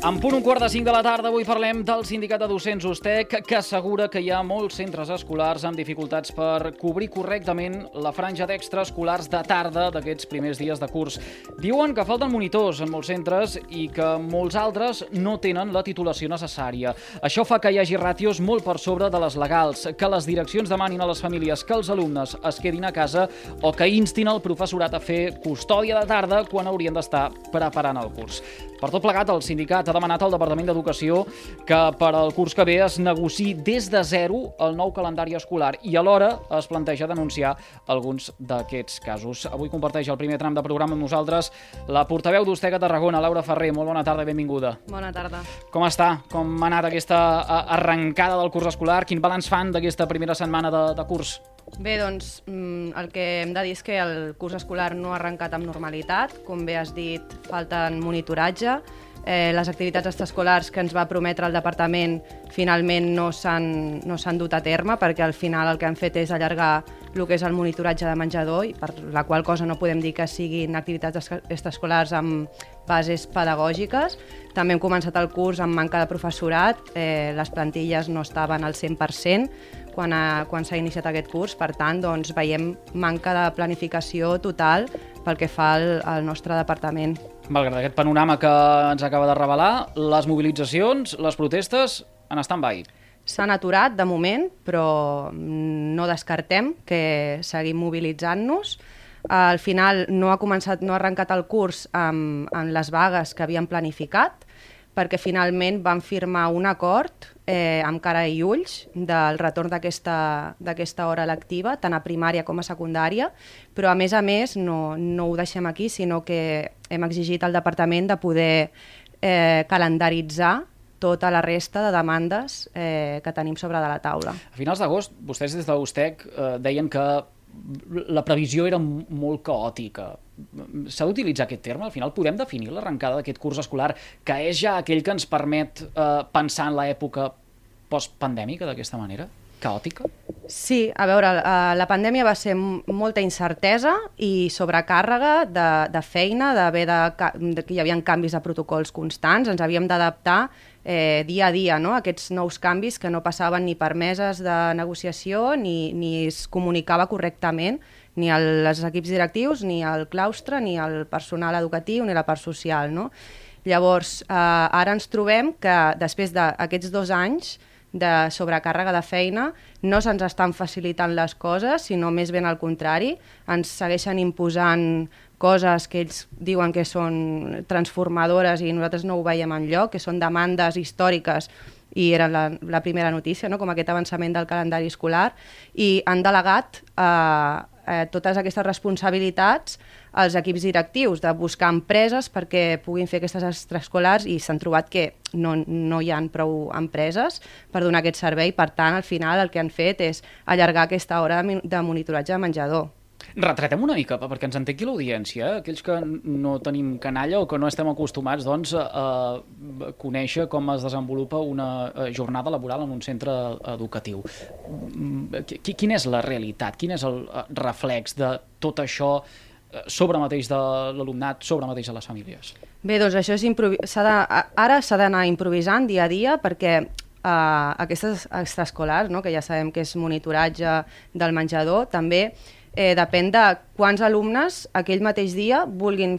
En punt 1:45 de la tarda, avui parlem del Sindicat de Docents USTEC, que assegura que hi ha molts centres escolars amb dificultats per cobrir correctament la franja d'extraescolars de tarda d'aquests primers dies de curs. Diuen que falten monitors en molts centres i que molts altres no tenen la titulació necessària. Això fa que hi hagi ràtios molt per sobre de les legals, que les direccions demanin a les famílies que els alumnes es quedin a casa o que instin el professorat a fer custòdia de tarda quan haurien d'estar preparant el curs. Per tot plegat, el sindicat ha demanat al Departament d'Educació que per al curs que ve es negociï des de zero el nou calendari escolar i alhora es planteja denunciar alguns d'aquests casos. Avui comparteix el primer tram de programa amb nosaltres la portaveu d'USTEC a Tarragona, Laura Ferrer. Molt bona tarda i benvinguda. Bona tarda. Com està? Com ha anat aquesta arrencada del curs escolar? Quin balanç fan d'aquesta primera setmana de curs? Bé, doncs, el que hem de dir és que el curs escolar no ha arrencat amb normalitat. Com bé has dit, falten monitoratge. Les activitats extraescolars que ens va prometre el departament finalment no s'han dut a terme, perquè al final el que han fet és allargar el que és el monitoratge de menjador, i per la qual cosa no podem dir que siguin activitats extraescolars amb bases pedagògiques. També hem començat el curs amb manca de professorat, les plantilles no estaven al 100% quan s'ha iniciat aquest curs, per tant, doncs, veiem manca de planificació total pel que fa al nostre departament. Malgrat aquest panorama que ens acaba de revelar, les mobilitzacions, les protestes en stand-by. S'han aturat de moment, però no descartem que seguim mobilitzant-nos. Al final no ha arrencat el curs amb les vagues que havíem planificat, perquè finalment van firmar un acord amb cara i ulls del retorn d'aquesta hora lectiva, tant a primària com a secundària, però a més no ho deixem aquí, sinó que hem exigit al departament de poder calendaritzar tota la resta de demandes que tenim sobre de la taula. A finals d'agost, vostès des de l'USTEC deien que la previsió era molt caòtica. S'ha d'utilitzar aquest terme? Al final podem definir l'arrencada d'aquest curs escolar, que és ja aquell que ens permet pensar en l'època postpandèmica d'aquesta manera? Caòtica? Sí, a veure, la pandèmia va ser molta incertesa i sobrecàrrega de feina, que hi havia canvis de protocols constants, ens havíem d'adaptar dia a dia, no? Aquests nous canvis que no passaven ni per meses de negociació ni es comunicava correctament ni als equips directius, ni al claustre, ni al personal educatiu, ni a la part social, no? Llavors, ara ens trobem que després d'aquests 2 anys de sobrecàrrega de feina no se'ns estan facilitant les coses, sinó més ben al contrari, ens segueixen imposant coses que ells diuen que són transformadores i nosaltres no ho veiem enlloc, que són demandes històriques, i era la primera notícia, no? Com aquest avançament del calendari escolar, i han delegat totes aquestes responsabilitats als equips directius, de buscar empreses perquè puguin fer aquestes extraescolars, i s'han trobat que no hi ha prou empreses per donar aquest servei. Per tant, al final el que han fet és allargar aquesta hora de monitoratge de menjador. Retratem una mica, perquè ens entengui l'audiència, aquells que no tenim canalla o que no estem acostumats a conèixer com es desenvolupa una jornada laboral en un centre educatiu. Quina és la realitat? Quin és el reflex de tot això sobre mateix de l'alumnat, sobre mateix de les famílies? Bé, doncs això ara s'ha d'anar improvisant dia a dia, perquè aquestes extraescolars, no, que ja sabem que és monitoratge del menjador, també depèn de quants alumnes aquell mateix dia vulguin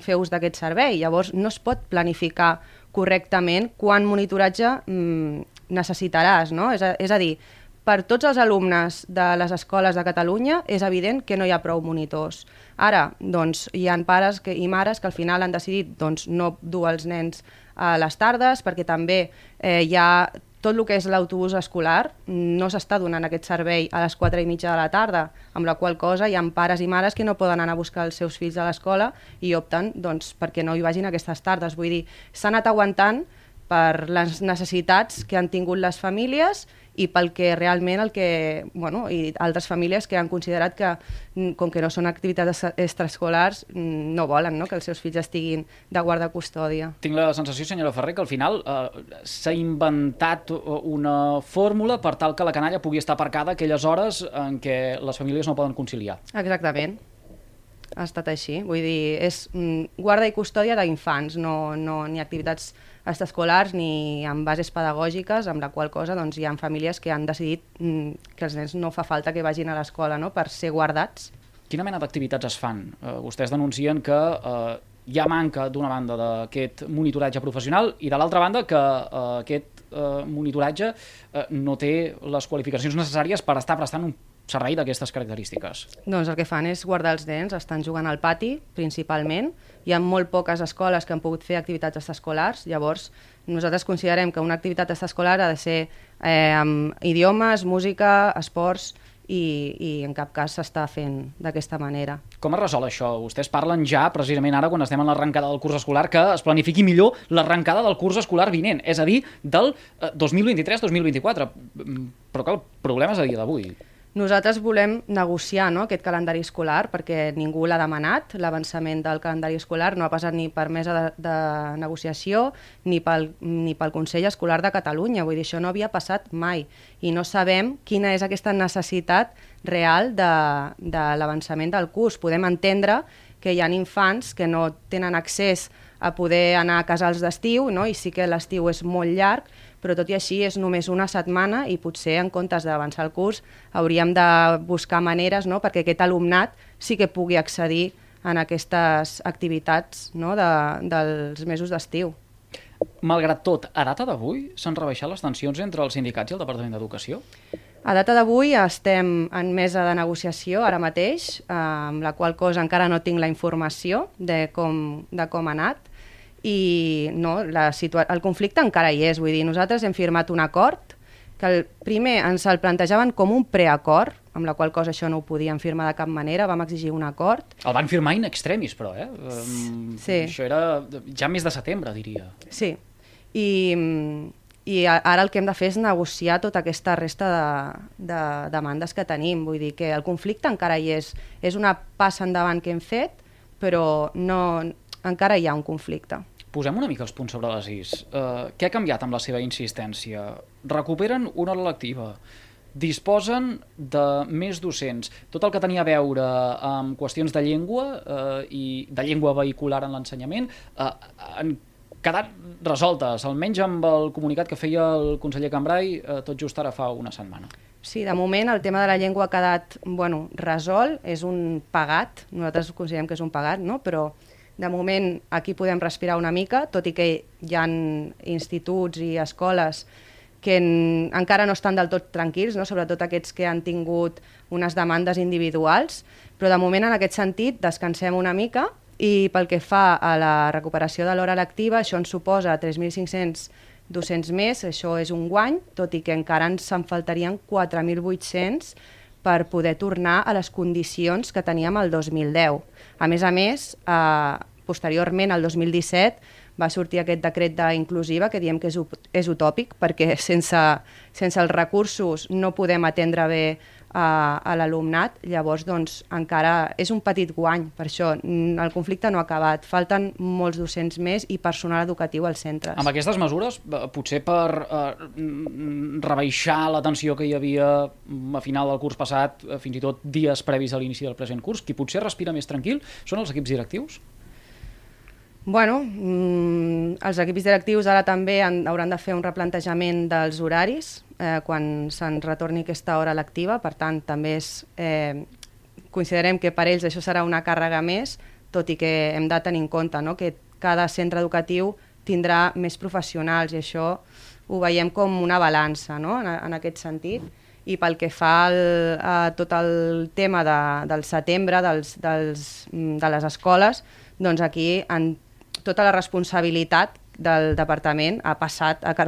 fer ús d'aquest servei. Llavors no es pot planificar correctament quant monitoratge necessitaràs, no? És a dir, per tots els alumnes de les escoles de Catalunya és evident que no hi ha prou monitors. Ara, doncs, hi ha pares i mares que al final han decidit no dur els nens a les tardes, perquè també hi ha tot el que és l'autobús escolar, no s'està donant aquest servei a les 4:30 de la tarda, amb la qual cosa hi ha pares i mares que no poden anar a buscar els seus fills a l'escola i opten perquè no hi vagin aquestes tardes. Vull dir, s'ha anat aguantant per les necessitats que han tingut les famílies i pel que realment i altres famílies que han considerat que, com que no són activitats extraescolars, no volen que els seus fills estiguin de guarda-custòdia. Tinc la sensació, senyora Ferrer, que al final s'ha inventat una fórmula per tal que la canalla pugui estar aparcada aquelles hores en què les famílies no poden conciliar. Exactament. ha estat així. Vull dir, és guarda i custòdia d'infants, no ni activitats extraescolars ni amb bases pedagògiques, amb la qual cosa doncs, hi ha famílies que han decidit que els nens no fa falta que vagin a l'escola, no?, per ser guardats. Quina mena d'activitats es fan? Vostès denuncien que hi ha manca, d'una banda, d'aquest monitoratge professional i, de l'altra banda, que aquest monitoratge no té les qualificacions necessàries per estar prestant un servei d'aquestes característiques. Doncs el que fan és guardar els nens, estan jugant al pati, principalment. Hi ha molt poques escoles que han pogut fer activitats extraescolars, llavors nosaltres considerem que una activitat extraescolar ha de ser amb idiomes, música, esports, i en cap cas s'està fent d'aquesta manera. Com es resol això? Vostès parlen ja, precisament ara, quan estem en l'arrencada del curs escolar, que es planifiqui millor l'arrencada del curs escolar vinent, és a dir, del 2023-2024. Però que el problema és a dia d'avui. Nosaltres volem negociar, no?, aquest calendari escolar perquè ningú l'ha demanat. L'avançament del calendari escolar no ha passat ni per mesa de negociació ni pel Consell Escolar de Catalunya. Vull dir, això no havia passat mai i no sabem quina és aquesta necessitat real de l'avançament del curs. Podem entendre que hi ha infants que no tenen accés a poder anar a casals d'estiu, no?, i sí que l'estiu és molt llarg, però tot i així és només una setmana i potser en comptes d'avançar el curs hauríem de buscar maneres, no?, perquè aquest alumnat sí que pugui accedir en aquestes activitats, no?, dels mesos d'estiu. Malgrat tot, a data d'avui s'han rebaixat les tensions entre els sindicats i el Departament d'Educació? A data d'avui estem en mesa de negociació ara mateix, amb la qual cosa encara no tinc la informació de com ha anat, i no, el conflicte encara hi és. Vull dir, nosaltres hem firmat un acord que primer ens el plantejaven com un preacord, amb la qual cosa això no ho podíem firmar de cap manera, vam exigir un acord. El van firmar in extremis, però, Sí. Això era ja mes de setembre, diria. Sí, i ara el que hem de fer és negociar tota aquesta resta de demandes que tenim. Vull dir que el conflicte encara hi és. És una passa endavant que hem fet, però encara hi ha un conflicte. Posem una mica els punts sobre les is. Què ha canviat amb la seva insistència? Recuperen una hora lectiva, disposen de més docents. Tot el que tenia a veure amb qüestions de llengua i de llengua vehicular en l'ensenyament han quedat resoltes, almenys amb el comunicat que feia el conseller Cambray tot just ara fa una setmana. Sí, de moment el tema de la llengua ha quedat resolt, és un pagat, nosaltres considerem que és un pagat, no?, però de moment aquí podem respirar una mica, tot i que hi ha instituts i escoles que encara no estan del tot tranquils, no?, sobretot aquests que han tingut unes demandes individuals, però de moment en aquest sentit descansem una mica i pel que fa a la recuperació de l'hora lectiva, això ens suposa 3.500 docents més, això és un guany, tot i que encara ens en faltarien 4.800 per poder tornar a les condicions que teníem el 2010. A més, posteriorment, el 2017, va sortir aquest decret d'inclusiva que diem que és utòpic perquè sense els recursos no podem atendre bé a l'alumnat, llavors doncs, encara és un petit guany, per això el conflicte no ha acabat, falten molts docents més i personal educatiu als centres. Amb aquestes mesures, potser per rebaixar la tensió que hi havia a final del curs passat, fins i tot dies previs a l'inici del present curs, qui potser respira més tranquil són els equips directius? Bueno, els equips directius ara també hauran de fer un replantejament dels horaris quan se'n retorni aquesta hora lectiva, per tant també considerem que per ells això serà una càrrega més, tot i que hem de tenir en compte, no?, que cada centre educatiu tindrà més professionals i això ho veiem com una balança, no?, en aquest sentit. I pel que fa a tot el tema del setembre, de les escoles, doncs aquí tota la responsabilitat del departament ha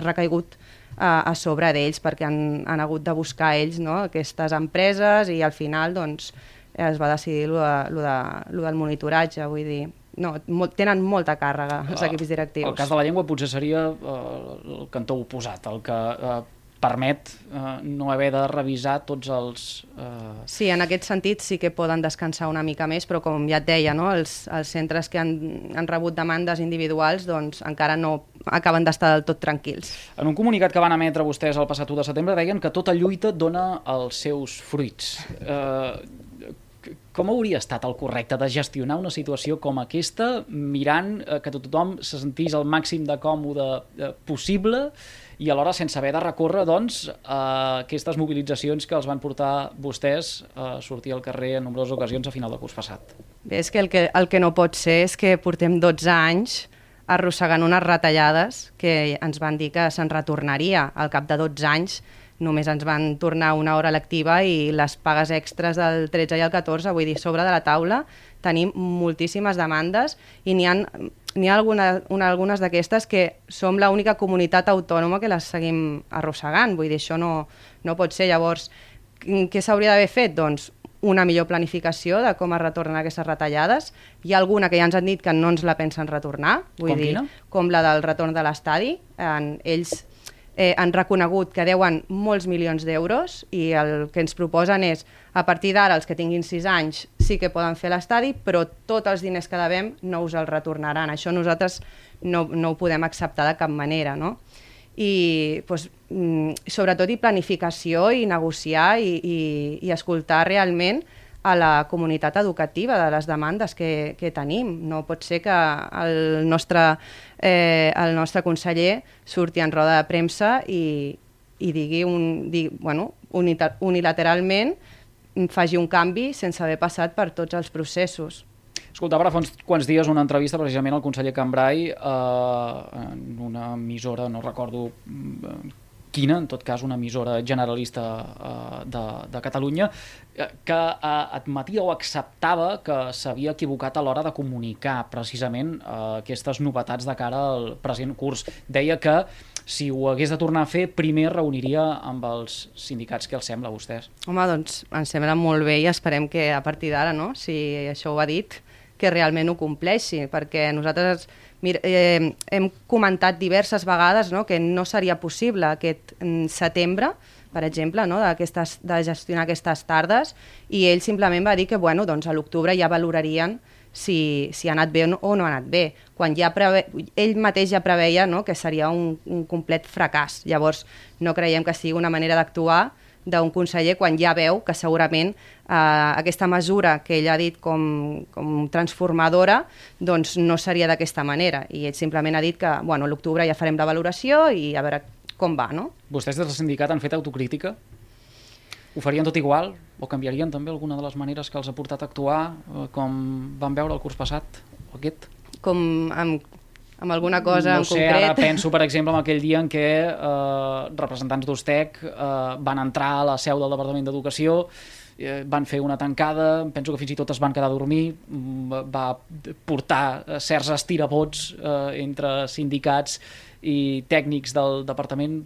recaigut a sobre d'ells perquè han hagut de buscar ells, no?, aquestes empreses i al final doncs, es va decidir lo del monitoratge, vull dir, no, tenen molta càrrega els equips directius. El cas de la llengua potser seria el cantó oposat, el que permet no haver de revisar tots els... Sí, en aquest sentit sí que poden descansar una mica més, però com ja et deia, no? Els centres que han rebut demandes individuals doncs, encara no acaben d'estar del tot tranquils. En un comunicat que van emetre vostès el passat 1 de setembre deien que tota lluita dona els seus fruits. Com hauria estat el correcte de gestionar una situació com aquesta, mirant que tothom se sentís el màxim de còmode possible i alhora sense haver de recórrer doncs, a aquestes mobilitzacions que els van portar vostès a sortir al carrer en nombroses ocasions a final de curs passat? Bé, és que el que no pot ser és que portem 12 anys arrossegant unes retallades que ens van dir que se'n retornaria. Al cap de 12 anys només ens van tornar una hora lectiva i les pagues extres del 13 i el 14, vull dir, sobre de la taula tenim moltíssimes demandes i n'hi ha algunes d'aquestes que som l'única comunitat autònoma que les seguim arrossegant, vull dir, això no pot ser. Llavors, què s'hauria d'haver fet? Doncs una millor planificació de com es retornen aquestes retallades. Hi ha alguna que ja ens han dit que no ens la pensen retornar, vull dir, com la del retorn de l'estadi. Ells han reconegut que deuen molts milions d'euros i el que ens proposen és, a partir d'ara, els que tinguin 6 anys sí que poden fer l'estadi, però tots els diners que devem no us els retornaran. Això nosaltres no ho podem acceptar de cap manera, no? I doncs, sobretot planificació i negociar i escoltar realment a la comunitat educativa de les demandes que tenim. No pot ser que el nostre conseller surti en roda de premsa i digui unilateralment faci un canvi sense haver passat per tots els processos. Escoltava fa uns quants dies una entrevista precisament al conseller Cambray en una emissora, no recordo quina, en tot cas una emissora generalista de Catalunya, que admetia o acceptava que s'havia equivocat a l'hora de comunicar precisament aquestes novetats de cara al present curs. Deia que si ho hagués de tornar a fer, primer reuniria amb els sindicats. Què els sembla a vostès? Home, doncs ens sembla molt bé i esperem que a partir d'ara, no? Si això ho ha dit, que realment ho compleixi, perquè nosaltres hem comentat diverses vegades, no, que no seria possible aquest setembre, per exemple, no, de gestionar aquestes tardes, i ell simplement va dir que doncs a l'octubre ja valorarien si ha anat bé o no ha anat bé, quan ell mateix ja preveia, no, que seria un complet fracàs. Llavors no creiem que sigui una manera d'actuar d'un conseller quan ja veu que segurament aquesta mesura que ell ha dit com transformadora doncs no seria d'aquesta manera, i ell simplement ha dit que a l'octubre ja farem la valoració i a veure com va, no? Vostès des del sindicat han fet autocrítica? Ho farien tot igual? O canviarien també alguna de les maneres que els ha portat a actuar com van veure el curs passat o aquest? Com amb alguna cosa en concret? No sé, ara penso, per exemple, en aquell dia en què representants d'Ustec van entrar a la seu del Departament d'Educació, van fer una tancada, penso que fins i tot es van quedar a dormir, va portar certs estirabots entre sindicats i tècnics del departament.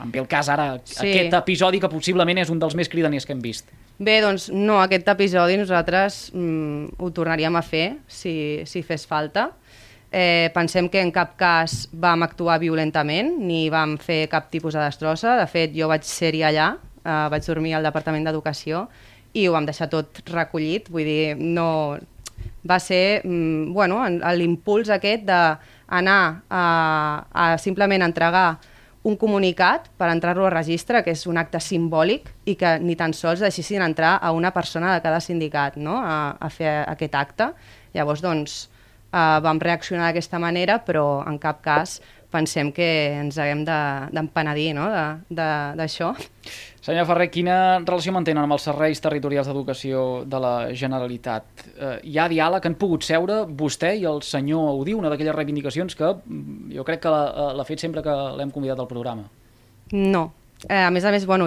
En ve el cas ara, aquest episodi que possiblement és un dels més cridaners que hem vist. Bé, doncs no, aquest episodi nosaltres ho tornaríem a fer si fes falta. Pensem que en cap cas vam actuar violentament ni vam fer cap tipus de destrossa. De fet, jo vaig ser-hi allà, vaig dormir al Departament d'Educació i ho vam deixar tot recollit. Vull dir, no... Va ser l'impuls aquest d'anar a simplement entregar un comunicat per entrar-lo a registre, que és un acte simbòlic, i que ni tan sols deixessin entrar a una persona de cada sindicat, no?, a fer aquest acte. Llavors, doncs, vam reaccionar d'aquesta manera, però en cap cas pensem que ens haguem d'empenedir, no?, d'això. Senyor Ferrer, quina relació mantenen amb els serveis territorials d'educació de la Generalitat? Hi ha diàleg? Han pogut seure vostè i el senyor Audí, una d'aquelles reivindicacions que jo crec que l'ha fet sempre que l'hem convidat al programa? No. A més,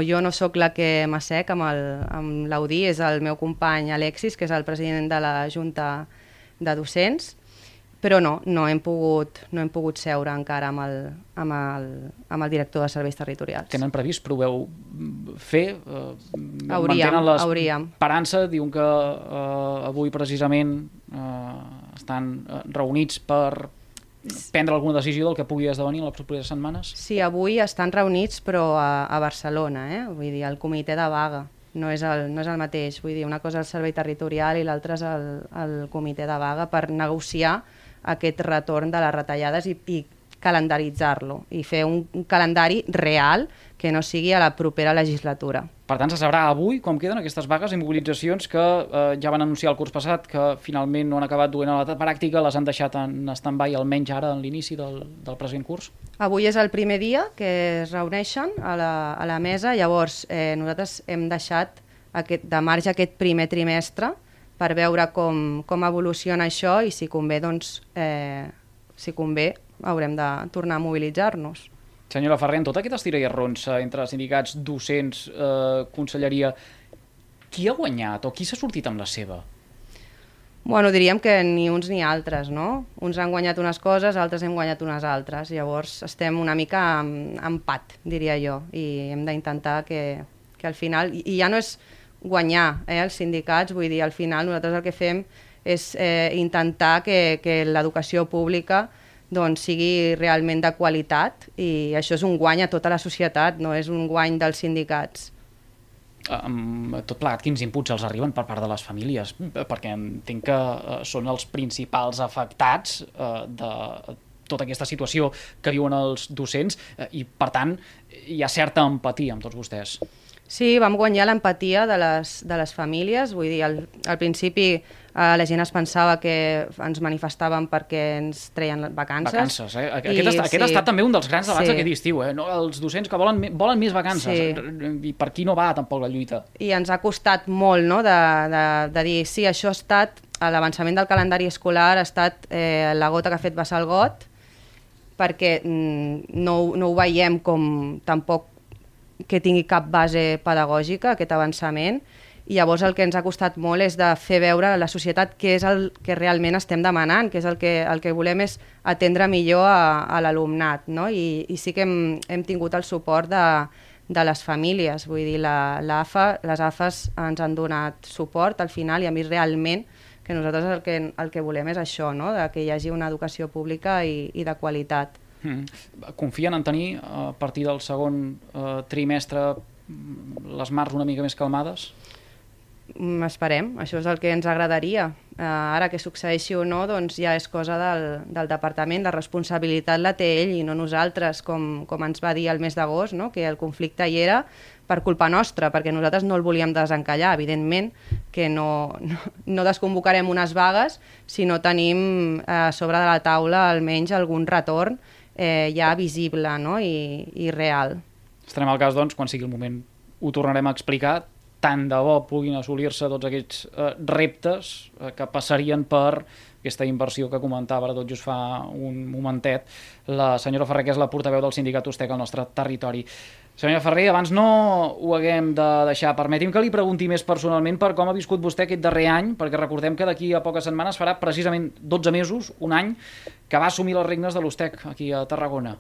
jo no sóc la que m'assec amb l'Audí, és el meu company Alexis, que és el president de la Junta de Docents, però no hem pogut seure encara amb el director de serveis territorials. Tenen previst? Proveu fer? Hauríem. L'esperança, diuen que avui precisament estan reunits per prendre alguna decisió del que pugui esdevenir en les properes setmanes? Sí, avui estan reunits, però a Barcelona, vull dir, el comitè de vaga. No és el mateix, vull dir, una cosa és el servei territorial i l'altra és el comitè de vaga per negociar aquest retorn de les retallades i calendaritzar-lo i fer un calendari real que no sigui a la propera legislatura. Per tant, se sabrà avui com queden aquestes vagues i mobilitzacions que ja van anunciar el curs passat, que finalment no han acabat duent a la pràctica, les han deixat en stand-by almenys ara en l'inici del present curs? Avui és el primer dia que es reuneixen a la mesa, llavors nosaltres hem deixat de marge aquest primer trimestre per veure com evoluciona això i si convé, haurem de tornar a mobilitzar-nos. Senyora Ferrer, en tota aquesta estira i arronsa entre sindicats, docents, conselleria, qui ha guanyat o qui s'ha sortit amb la seva? Bueno, diríem que ni uns ni altres, no? Uns han guanyat unes coses, altres hem guanyat unes altres. Llavors estem una mica en empat, diria jo, i hem d'intentar que al final... I ja no és guanyar els sindicats, vull dir, al final nosaltres el que fem és intentar que l'educació pública sigui realment de qualitat i això és un guany a tota la societat, no és un guany dels sindicats. Tot plegat, quins inputs els arriben per part de les famílies? Perquè entenc que són els principals afectats de tota aquesta situació que viuen els docents i, per tant, hi ha certa empatia amb tots vostès. Sí, vam guanyar l'empatia de les famílies, vull dir, al principi la gent es pensava que ens manifestàvem perquè ens treien vacances. Vacances, eh? Aquest ha estat també un dels grans debats d'aquest estiu, eh? No, els docents que volen més vacances, i per qui no va tampoc la lluita. I ens ha costat molt, no?, de dir, sí, això ha estat, l'avançament del calendari escolar ha estat la gota que ha fet vessar el got, perquè no ho veiem com tampoc que tingui cap base pedagògica, aquest avançament, i llavors el que ens ha costat molt és de fer veure a la societat què és el que realment estem demanant, que és el que volem és atendre millor a l'alumnat, no? I sí que hem tingut el suport de les famílies, vull dir, les AFAs ens han donat suport al final i a mi realment que nosaltres el que volem és això, no? Que hi hagi una educació pública i de qualitat. Confien en tenir a partir del segon trimestre les mars una mica més calmades? Esperem, això és el que ens agradaria. Ara que succeeixi o no, doncs ja és cosa del departament, la responsabilitat la té ell i no nosaltres, com ens va dir el mes d'agost, no? Que el conflicte hi era per culpa nostra, perquè nosaltres no el volíem desencallar. Evidentment que no desconvocarem unes vagues si no tenim a sobre de la taula almenys algun retorn ja visible, no? I real. Estarem al cas, doncs, quan sigui el moment ho tornarem a explicar, tant de bo puguin assolir-se tots aquests reptes que passarien per aquesta inversió que comentava ara tot just fa un momentet la senyora Ferrer, que és la portaveu del sindicat USTEC al nostre territori. Senyora Ferrer, abans no ho haguem de deixar. Permeti'm que li pregunti més personalment per com ha viscut vostè aquest darrer any, perquè recordem que d'aquí a poques setmanes farà precisament 12 mesos, un any, que va assumir les regnes de l'USTEC aquí a Tarragona.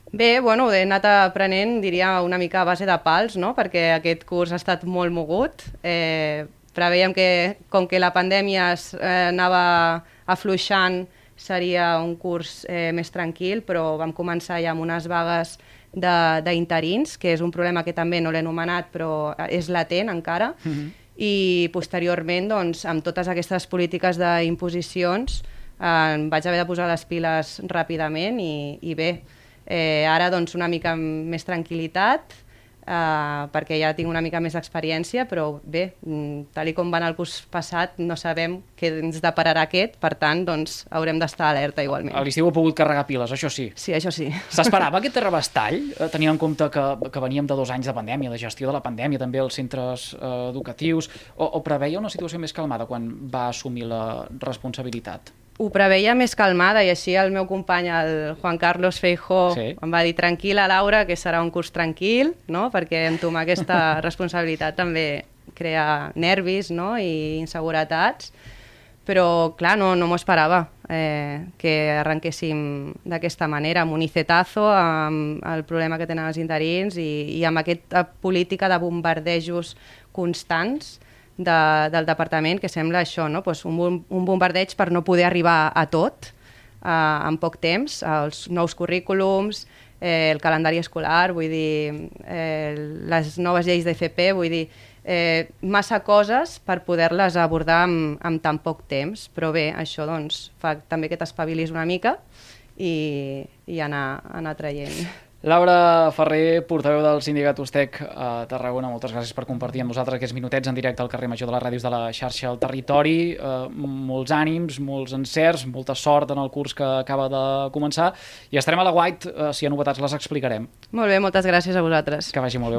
Bé, bueno, he anat aprenent, diria, una mica a base de pals, no? Perquè aquest curs ha estat molt mogut. Preveiem que, com que la pandèmia anava afluixant, seria un curs més tranquil, però vam començar ja amb unes vagues d'interins, que és un problema que també no l'he anomenat, però és latent encara, i posteriorment, doncs, amb totes aquestes polítiques d'imposicions, em vaig haver de posar les piles ràpidament i bé, ara doncs una mica més tranquil·litat, perquè ja tinc una mica més d'experiència, però bé, tal com va anar el curs passat, no sabem què ens depararà aquest, per tant, doncs haurem d'estar alerta igualment. A l'estiu heu pogut carregar piles, això sí. Sí, això sí. S'esperava aquest terrabastall, tenint en compte que veníem de 2 anys de pandèmia, de gestió de la pandèmia, també als centres educatius, o preveia una situació més calmada quan va assumir la responsabilitat? Ho preveia més calmada i així el meu company, el Juan Carlos Feijóo, em va dir tranquil·la, Laura, que serà un curs tranquil, no? Perquè entomar aquesta responsabilitat també crea nervis, no? I inseguretats, però clar, no m'ho esperava que arrenquéssim d'aquesta manera, amb un icetazo, amb el problema que tenen els interins i amb aquesta política de bombardejos constants del departament, que sembla això, no? Pues un bombardeig per no poder arribar a tot en poc temps, els nous currículums, el calendari escolar, vull dir, les noves lleis d'FP, vull dir, massa coses per poder-les abordar amb tan poc temps, però bé, això doncs fa també que t'espavilis una mica i anar traient. Laura Ferrer, portaveu del Sindicat Ustec a Tarragona, moltes gràcies per compartir amb nosaltres aquests minutets en directe al carrer Major de les ràdios de la xarxa al territori. Molts ànims, molts encerts, molta sort en el curs que acaba de començar i estarem a l'aguait. Si hi ha novetats les explicarem. Molt bé, moltes gràcies a vosaltres. Que vagi molt bé.